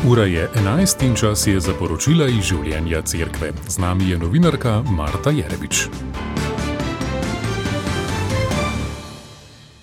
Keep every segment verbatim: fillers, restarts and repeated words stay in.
Ura je enajst in čas je za poročila iz življenja cerkve. Z nami je novinarka Marta Jerebič.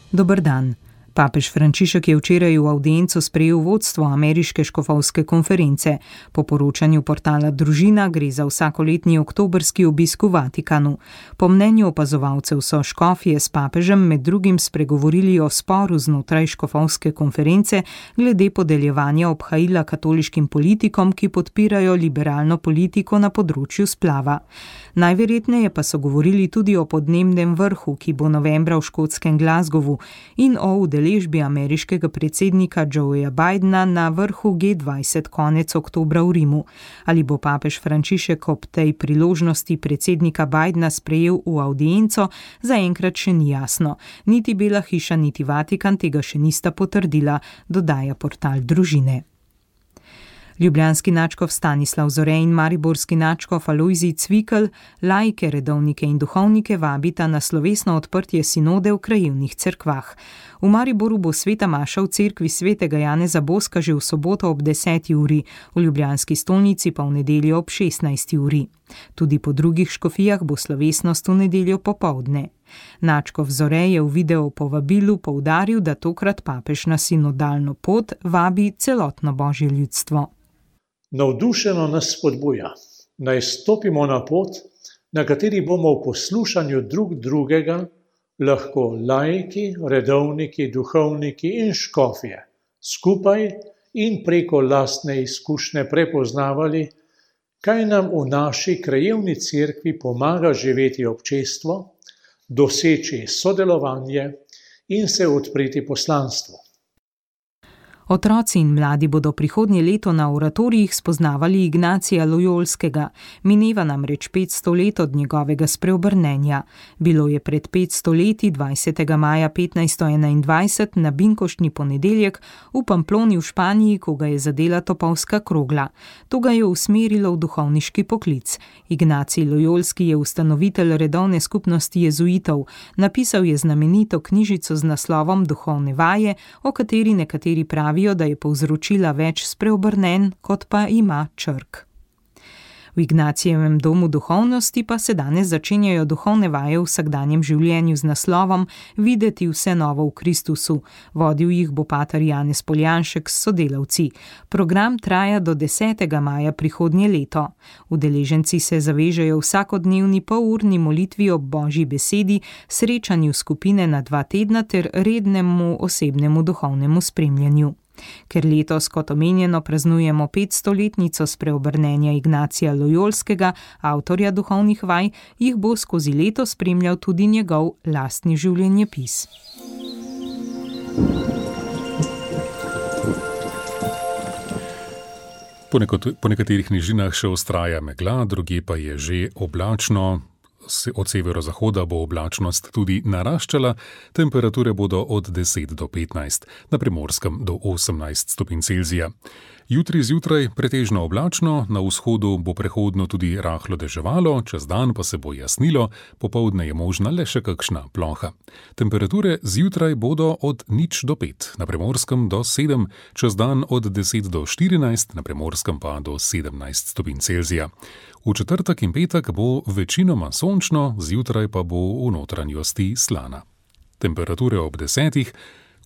Dober dan. Papež Frančišek je včeraj v avdiencu sprejel vodstvo ameriške škofovske konference. Po poročanju portala Družina gre za vsakoletni oktobrski obisk v Vatikanu. Po mnenju opazovalcev so škofje s papežem med drugim spregovorili o sporu znotraj škofovske konference glede podeljevanja obhajila katoliškim politikom, ki podpirajo liberalno politiko na področju splava. Najverjetneje pa so govorili tudi o podnebnem vrhu, ki bo novembra v škotskem Glasgowu, in o udeležbi ameriškega predsednika Joeja Bidena na vrhu G dvajset konec oktobra v Rimu. Ali bo papež Frančišek ob tej priložnosti predsednika Bidena sprejel v avdienco, zaenkrat še ni jasno. Niti Bela hiša, niti Vatikan tega še nista potrdila, dodaja portal Družine. Ljubljanski nadškof Stanislav Zore in mariborski nadškof Alojzij Cvikl laike, redovnike in duhovnike vabita na slovesno odprtje sinode v krajevnih cerkvah. V Mariboru bo sveta maša v cerkvi svetega Janeza Boska že v soboto ob deseti uri, v ljubljanski stolnici pa v nedeljo ob šestnajsti uri. Tudi po drugih škofijah bo slovesnost v nedeljo popoldne. Nadškof Zore je v videu povabilu poudaril, da tokrat papež na sinodalno pot vabi celotno božje ljudstvo. Navdušeno nas spodbuja, naj stopimo na pot, na kateri bomo v poslušanju drug drugega lahko laiki, redovniki, duhovniki in škofje skupaj in preko lastne izkušnje prepoznavali, kaj nam v naši krajevni cerkvi pomaga živeti občestvo, doseči sodelovanje in se odpreti poslanstvu. Otroci in mladi bodo prihodnje leto na oratorijih spoznavali Ignacija Lojolskega. Mineva namreč petsto let od njegovega spreobrnenja. Bilo je pred petsto leti, dvajsetega maja petnajststo enaindvajset, na binkoštni ponedeljek v Pamploni v Španiji, ko ga je zadela topovska krogla. To ga je usmerilo v duhovniški poklic. Ignacij Lojolski je ustanovitelj redovne skupnosti jezuitov. Napisal je znamenito knjižico z naslovom Duhovne vaje, o kateri nekateri pravijo, da je povzročila več spreobrnenj, kot pa ima črk. V Ignacijevem domu duhovnosti pa se danes začenjajo duhovne vaje v vsakdanjem življenju z naslovom Videti vse novo v Kristusu. Vodil jih bo pater Janez Poljanšek s sodelavci. Program traja do desetega maja prihodnje leto. Udeleženci se zavežejo vsakodnevni polurni molitvi ob Božji besedi, srečanju skupine na dva tedna ter rednemu osebnemu duhovnemu spremljanju. Ker letos, kot omenjeno, praznujemo petstoletnico spreobrnenja Ignacija Lojolskega, avtorja duhovnih vaj, jih bo skozi leto spremljal tudi njegov lastni življenjepis. Po, nekot, po nekaterih nižinah še vztraja megla, drugje pa je že oblačno. Od severozahoda bo oblačnost tudi naraščala, temperature bodo od deset do petnajst, na Primorskem do osemnajst stopinj Celzija. Jutri zjutraj pretežno oblačno, na vzhodu bo prehodno tudi rahlo deževalo, čez dan pa se bo jasnilo, popoldne je možna le še kakšna ploha. Temperature zjutraj bodo od nič do pet, na Primorskem do sedem, čez dan od deset do štirinajst, na Primorskem pa do sedemnajst stopinj Celzija. V četrtek in petek bo večinoma sončno, zjutraj pa bo v notranjosti slana. Temperature ob desetih,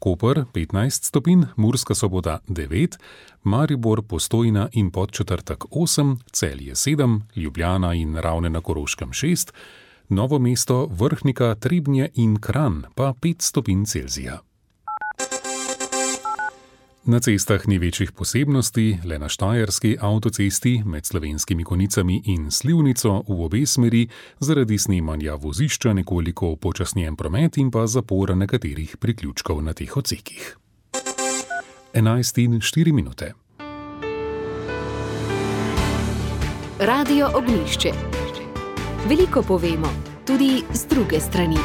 Koper petnajst stopinj, Murska Sobota devet, Maribor, Postojna in Podčetrtek osem, Celje sedem, Ljubljana in Ravne na Koroškem šest, Novo mesto, Vrhnika, Trebnje in Kranj pa pet stopinj Celzija. Na cestah ni večjih posebnosti, le na štajerski avtocesti med Slovenskimi Konicami in Slivnico v obe smeri zaradi snemanja vozišča nekoliko upočasnjen promet in pa zapora nekaterih priključkov na teh odsekih. enajst in štiri minute. Radio Ognjišče. Veliko povemo, tudi z druge strani.